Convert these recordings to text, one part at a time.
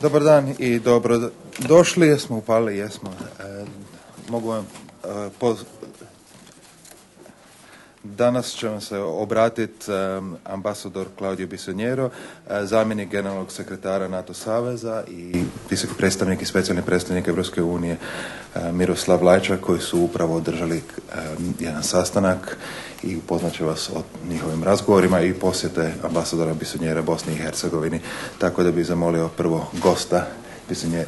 Dobar dan i dobro došli. Jesmo upali, jesmo. Mogu vam Danas će vam se obratiti ambasador Claudio Bisogniero, zamjenik generalnog sekretara NATO saveza i visoki predstavnik i specijalni predstavnik Europske unije Miroslav Lajčak, koji su upravo održali jedan sastanak i upoznat će vas o njihovim razgovorima i posjete ambasadora Bisogniera Bosni i Hercegovini. Tako da bih zamolio prvo gosta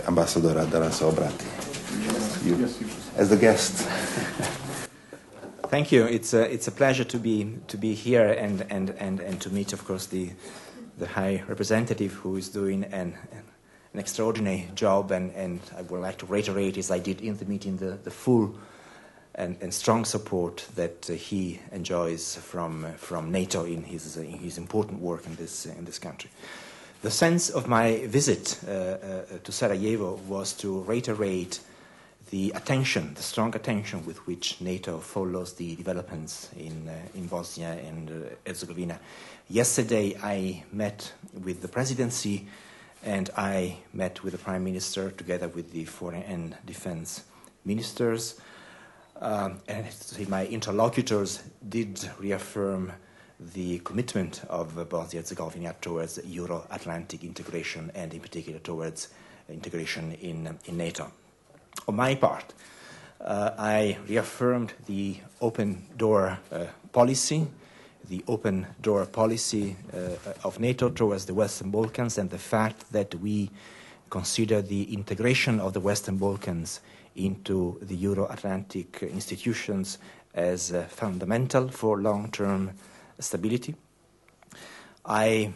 ambasadora da nam se obrati. You, as the guest. Thank you. It's a pleasure to be here and to meet, of course, the High Representative, who is doing an extraordinary job, and I would like to reiterate, as I did in the meeting, the full and strong support that he enjoys from NATO in his important work in this country. The sense of my visit to Sarajevo was to reiterate the strong attention with which NATO follows the developments in Bosnia and Herzegovina. Yesterday, I met with the presidency, and I met with the prime minister together with the foreign and defense ministers. And my interlocutors did reaffirm the commitment of Bosnia and Herzegovina towards Euro-Atlantic integration, and in particular towards integration in NATO. On my part, I reaffirmed the open door policy of NATO towards the Western Balkans, and the fact that we consider the integration of the Western Balkans into the Euro-Atlantic institutions as fundamental for long-term stability. I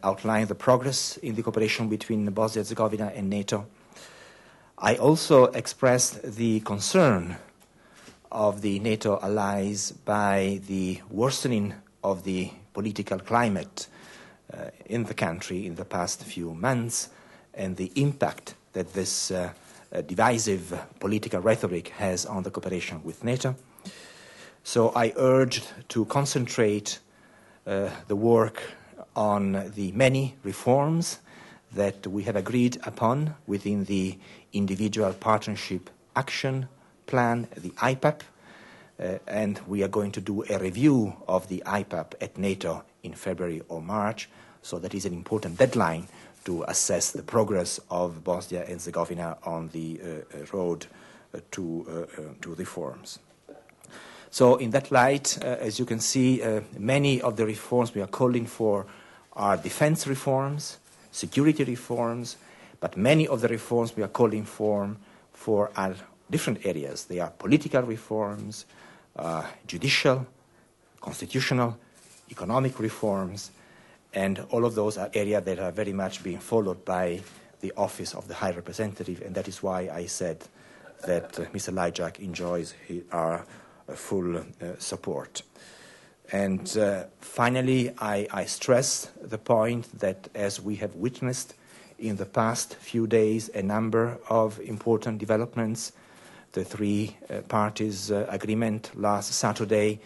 outlined the progress in the cooperation between Bosnia and Herzegovina and NATO. I also expressed the concern of the NATO allies by the worsening of the political climate in the country in the past few months, and the impact that this divisive political rhetoric has on the cooperation with NATO. So I urged to concentrate the work on the many reforms that we have agreed upon within the Individual Partnership Action Plan, the IPAP, and we are going to do a review of the IPAP at NATO in February or March, so that is an important deadline to assess the progress of Bosnia and Herzegovina on the road to reforms. So in that light, as you can see, many of the reforms we are calling for are defense reforms, security reforms, but many of the reforms we are calling for are different areas. They are political reforms, judicial, constitutional, economic reforms, and all of those are areas that are very much being followed by the Office of the High Representative, and that is why I said that Mr. Lajčák enjoys our full support. And finally, I stress the point that as we have witnessed in the past few days a number of important developments, the three parties agreement last Saturday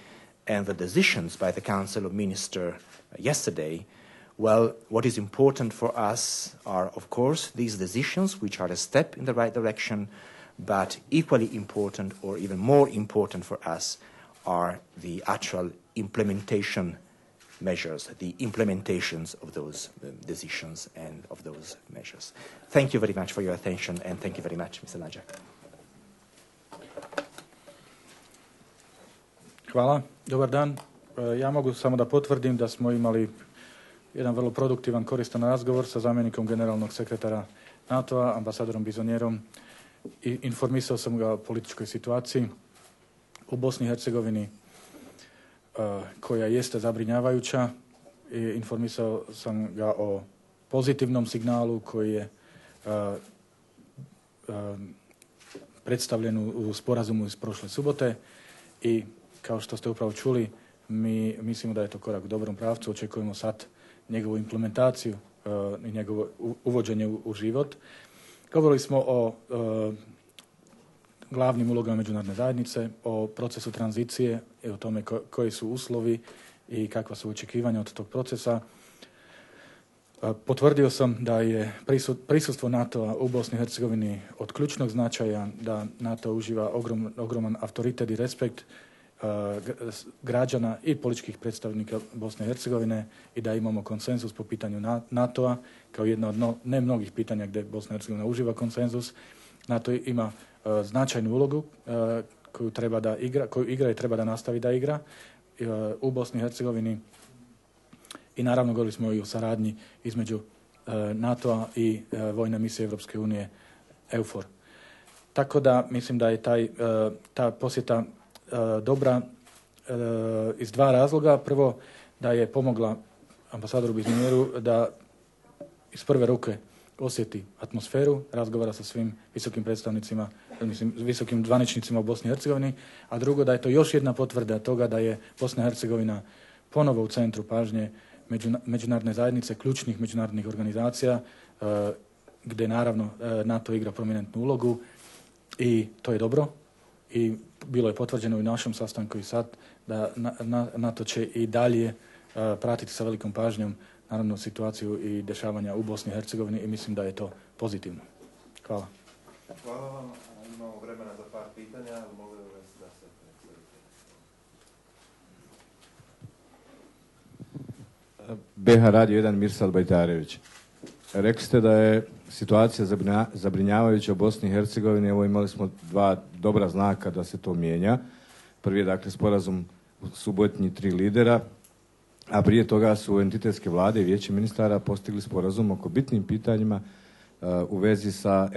and the decisions by the Council of Ministers yesterday, well, what is important for us are, of course, these decisions, which are a step in the right direction, but equally important, or even more important for us, are the actual implementation measures, the implementations of those decisions and of those measures. Thank you very much for your attention, and thank you very much, Mr. Lajčák. Hvala. Dobar dan. Ja mogu samo da potvrdim da smo imali jedan vrlo produktivan, koristan razgovor sa zamjenikom generalnog sekretara NATO-a, ambasadorom Bisognierom. Informisao sam ga o političkoj situaciji u Bosni i Hercegovini, koja jeste zabrinjavajuća. Informisao sam ga o pozitivnom signalu koji je predstavljen u sporazumu iz prošle subote i kao što ste upravo čuli, mi mislimo da je to korak u dobrom pravcu. Očekujemo sad njegovu implementaciju i njegovo uvođenje u život. Govorili smo o glavnim ulogama međunarodne zajednice, o procesu tranzicije i o tome koji su uslovi i kakva su očekivanja od tog procesa. Potvrdio sam da je prisustvo NATO-a u Bosni i Hercegovini od ključnog značaja, da NATO uživa ogroman autoritet i respekt građana i političkih predstavnika Bosne i Hercegovine i da imamo konsenzus po pitanju NATO-a kao jedno od ne mnogih pitanja gdje Bosna i Hercegovina uživa konsenzus. NATO ima značajnu ulogu koju igra i treba da nastavi da igra u Bosni i Hercegovini. I naravno govorili smo i o saradnji između NATO-a i vojne misije Evropske unije EUFOR. Tako da mislim da je ta posjeta dobra iz dva razloga. Prvo, da je pomogla ambasadoru Bizonjeru da iz prve ruke osjeti atmosferu, razgovara sa svim visokim predstavnicima, visokim zvaničnicima u Bosni i Hercegovini, a drugo da je to još jedna potvrda toga da je Bosna i Hercegovina ponovo u centru pažnje međunarodne zajednice, ključnih međunarodnih organizacija, gdje naravno NATO igra prominentnu ulogu i to je dobro. I bilo je potvrđeno i u našem sastanku i sad da NATO će i dalje pratiti sa velikom pažnjom naravno situaciju i dešavanja u Bosni i Hercegovini i mislim da je to pozitivno. Hvala. Hvala vam. Imamo vremena za par pitanja. Mogu da se BH Radio 1 Mirsad Bajtarević. Rekli ste da je situacija zabrinjavajuća u Bosni i Hercegovini. Evo imali smo dva dobra znaka da se to mijenja. Prvi je dakle sporazum u Subotnji 3 lidera, a prije toga su entitetske vlade i vijeće ministara postigli sporazum oko bitnim pitanjima u vezi sa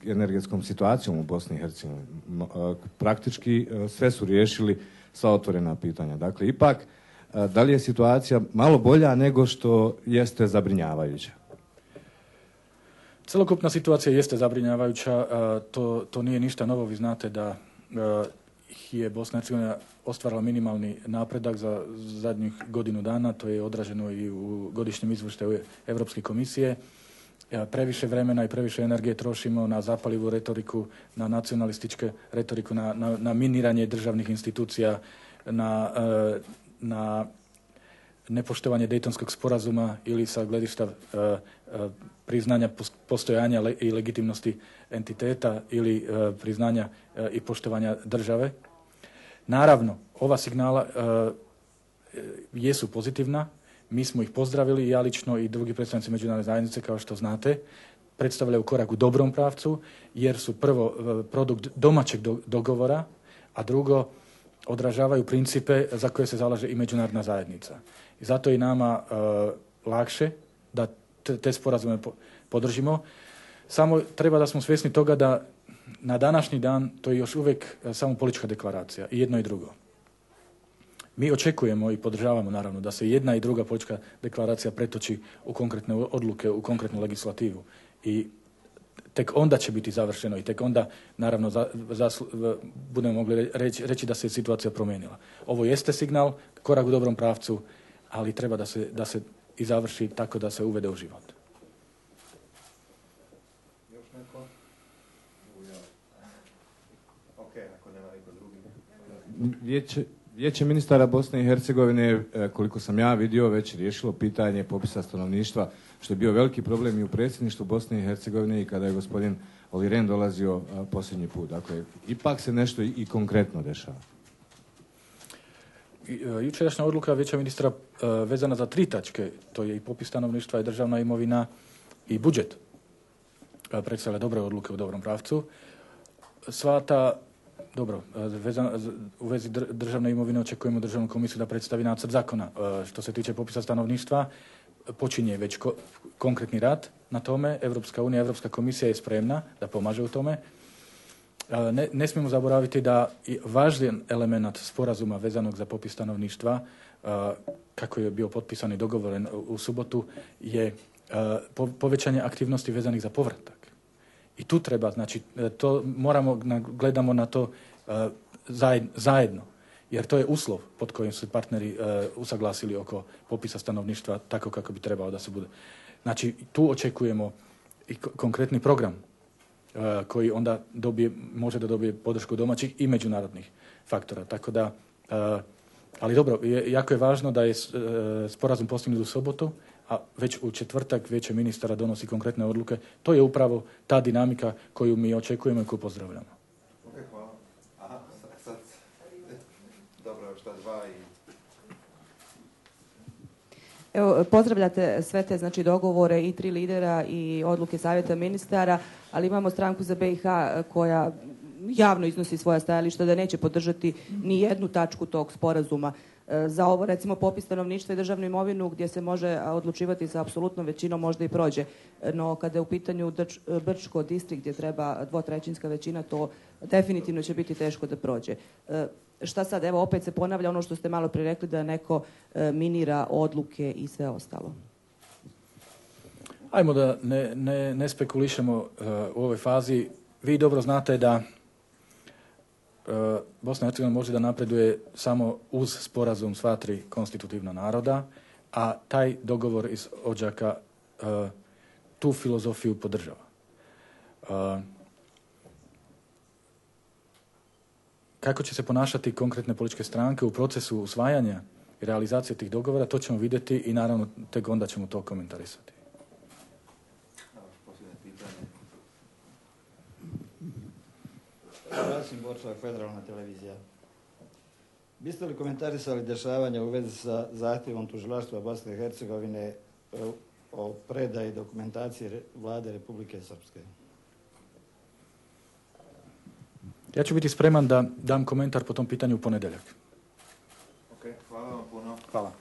energetskom situacijom u Bosni i Hercegovini. Praktički sve su riješili sva otvorena pitanja. Dakle, ipak, da li je situacija malo bolja nego što jeste zabrinjavajuća? Celokupna situacija jeste zabrinjavajuća. To nije ništa novo. Vi znate da je Bosna i Hercegovina ostvarila minimalni napredak za zadnjih godinu dana. To je odraženo i u godišnjem izvještaju Evropske komisije. Previše vremena i previše energije trošimo na zapalivu retoriku, na nacionalističke retoriku, na miniranje državnih institucija, na nepoštovanje Dejtonskog sporazuma ili sa gledišta priznanja postojanja i legitimnosti entiteta ili priznanja i poštovanja države. Naravno, ova signala jesu pozitivna. Mi smo ih pozdravili, ja lično i drugi predstavnici međunarodne zajednice, kao što znate, predstavljaju korak u dobrom pravcu, jer su prvo produkt domaćeg dogovora, a drugo odražavaju principe za koje se zalaže i međunarodna zajednica. I zato je nama lakše da te sporazume podržimo. Samo treba da smo svjesni toga da na današnji dan to je još uvijek samo politička deklaracija, i jedno i drugo. Mi očekujemo i podržavamo naravno da se jedna i druga politička deklaracija pretoči u konkretne odluke, u konkretnu legislativu. I tek onda će biti završeno i tek onda naravno budemo mogli reći da se situacija promijenila. Ovo jeste signal, korak u dobrom pravcu, ali treba da se i završi tako da se uvede u život. Još neko? Ok, ako nema niko drugi. Vijeće ministara Bosne i Hercegovine, koliko sam ja vidio, već riješilo pitanje popisa stanovništva, što je bio veliki problem i u predsjedništvu Bosne i Hercegovine i kada je gospodin Olli Rehn dolazio posljednji put. Dakle, ipak se nešto i konkretno dešava. Jučerašnja odluka vijeća ministra vezana za 3 tačke, to je i popis stanovništva, i državna imovina i budžet, predstavlja dobre odluke u dobrom pravcu. Sva ta Dobro, u vezi državne imovine očekujemo državnu komisiju da predstavi nacrt zakona. Što se tiče popisa stanovništva, počinje već konkretni rad na tome. Evropska unija, Evropska komisija je spremna da pomaže u tome. Ne smijemo zaboraviti da važan element sporazuma vezanog za popis stanovništva, kako je bio potpisan i dogovoren u subotu, je povećanje aktivnosti vezanih za povratak. I tu treba, znači, gledamo na to zajedno, jer to je uslov pod kojim su partneri usaglasili oko popisa stanovništva tako kako bi trebalo da se bude. Znači, tu očekujemo i konkretni program koji onda može da dobije podršku domaćih i međunarodnih faktora. Tako da, ali dobro, jako je važno da je sporazum postignut u subotu, a već u četvrtak Vijeće ministara donosi konkretne odluke. To je upravo ta dinamika koju mi očekujemo i koju pozdravljamo. Ok, hvala. Aha, sad. Dobro, šta dva i... Evo, pozdravljate sve te znači, dogovore i 3 lidera i odluke savjeta ministara, ali imamo stranku za BiH koja javno iznosi svoja stajališta da neće podržati ni jednu tačku tog sporazuma. Za ovo, recimo, popis stanovništva i državnu imovinu gdje se može odlučivati sa apsolutnom većinom možda i prođe. No, kada je u pitanju Brčko distrikt gdje treba 2/3 većina, to definitivno će biti teško da prođe. Šta sad? Evo, opet se ponavlja ono što ste malo prije rekli da neko minira odluke i sve ostalo. Ajmo da ne spekulišemo u ovoj fazi. Vi dobro znate da Bosna i Hercegovina može da napreduje samo uz sporazum sva 3 konstitutivna naroda, a taj dogovor iz Odžaka tu filozofiju podržava. Kako će se ponašati konkretne političke stranke u procesu usvajanja i realizacije tih dogovora, to ćemo vidjeti i naravno tek onda ćemo to komentarisati. Rasim Borčak, Federalna televizija. Biste li komentarisali dešavanja u vezi sa zahtjevom tužilaštva Bosne i Hercegovine o predaji dokumentacije vlade Republike Srpske? Ja ću biti spreman da dam komentar po tom pitanju u ponedjeljak. Ok, hvala vam puno. Hvala.